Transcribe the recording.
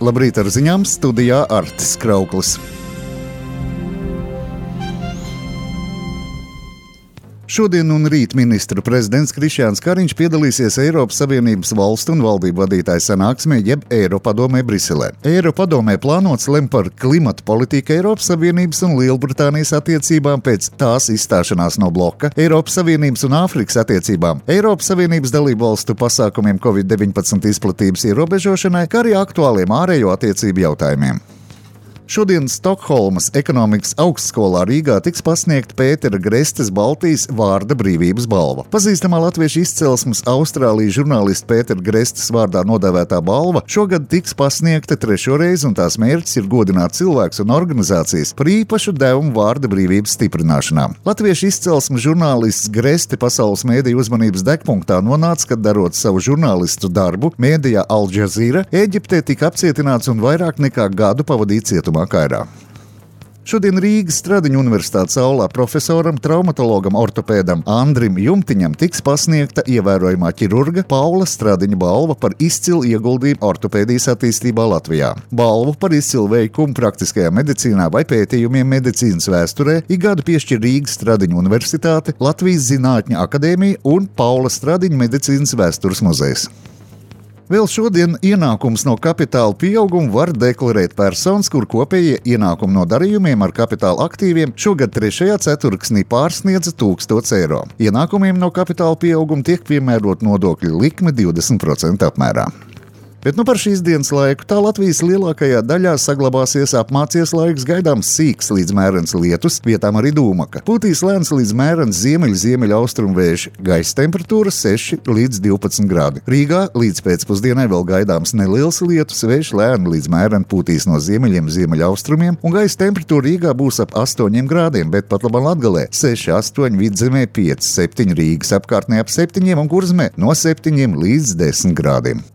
Labrīt ar ziņām, studijā Artis Krauklis. Šodien un rīt ministru prezidents Krišjāns Kariņš piedalīsies Eiropas Savienības valstu un valdību vadītāju sanāksmē jeb Eiropadomē Briselē. Eiropadomē plānots lemt par klimatu politiku Eiropas Savienības un Lielbritānijas attiecībām pēc tās izstāšanās no bloka, Eiropas Savienības un Āfrikas attiecībām, Eiropas Savienības dalību valstu pasākumiem Covid-19 izplatības ierobežošanai, kā arī aktuāliem ārējo attiecību jautājumiem. Šodien Stokholmas ekonomikas augstskolā Rīgā tiks pasniegta Pētera Grestes Baltijas vārda brīvības balva. Pazīstamā latviešu izcelsmes Austrālijas žurnālista Pētera Grestes vārdā nodēvētā balva šogad tiks pasniegta trešo reizi, un tās mērķis ir godināt cilvēkus un organizācijas par īpašu devumu vārda brīvības stiprināšanā. Latviešu izcelsmes žurnālists Greste pasaules mēdīju uzmanības degpunktā nonāca, kad darot savu žurnālistu darbu mēdījā Al Jazeera, Ēģiptē tika apcietināts un vairāk nekā gadu pavadīja cietumā Kairā. Šodien Rīgas Stradiņu universitātes aulā profesoram, traumatologam, ortopēdam Andrim Jumtiņam tiks pasniegta ievērojamā ķirurga Paula Stradiņa balva par izcilu ieguldījumu ortopēdijas attīstībā Latvijā. Balvu par izcilu veikumu praktiskajā medicīnā vai pētījumiem medicīnas vēsturē ik gadu piešķir Rīgas Stradiņu universitāte, Latvijas Zinātņu akadēmija un Paula Stradiņa medicīnas vēstures muzejs. Vēl šodien ienākums no kapitāla pieauguma var deklarēt personas, kur kopējie ienākumi no darījumiem ar kapitāla aktīviem šogad 3. ceturksnī pārsniedza 1000 eiro. Ienākumiem no kapitāla pieauguma tiek piemērot nodokļu likme 20% apmērā. Bet par šīs dienas laiku tā Latvijas lielākajā daļā saglabāsies apmācies laiks, gaidāms sīks līdz mērens lietus, vietām arī dūmaka. Pūtīs lēns līdz mērens ziemeļaustrumu vējš, gaisa temperatūra 6 līdz 12 grādi. Rīgā līdz pēcpusdienai vēl gaidāms neliels lietus, vējš lēni līdz mēreni pūtīs no ziemeļiem ziemeļaustrumiem, un gaisa temperatūra Rīgā būs ap 8 grādiem, bet pat labam Latgalē 6, 8, Vidzemē 5, 7, Rīgas apkārtnē ap 7 un Kurzemē no 7 līdz 10 grādiem.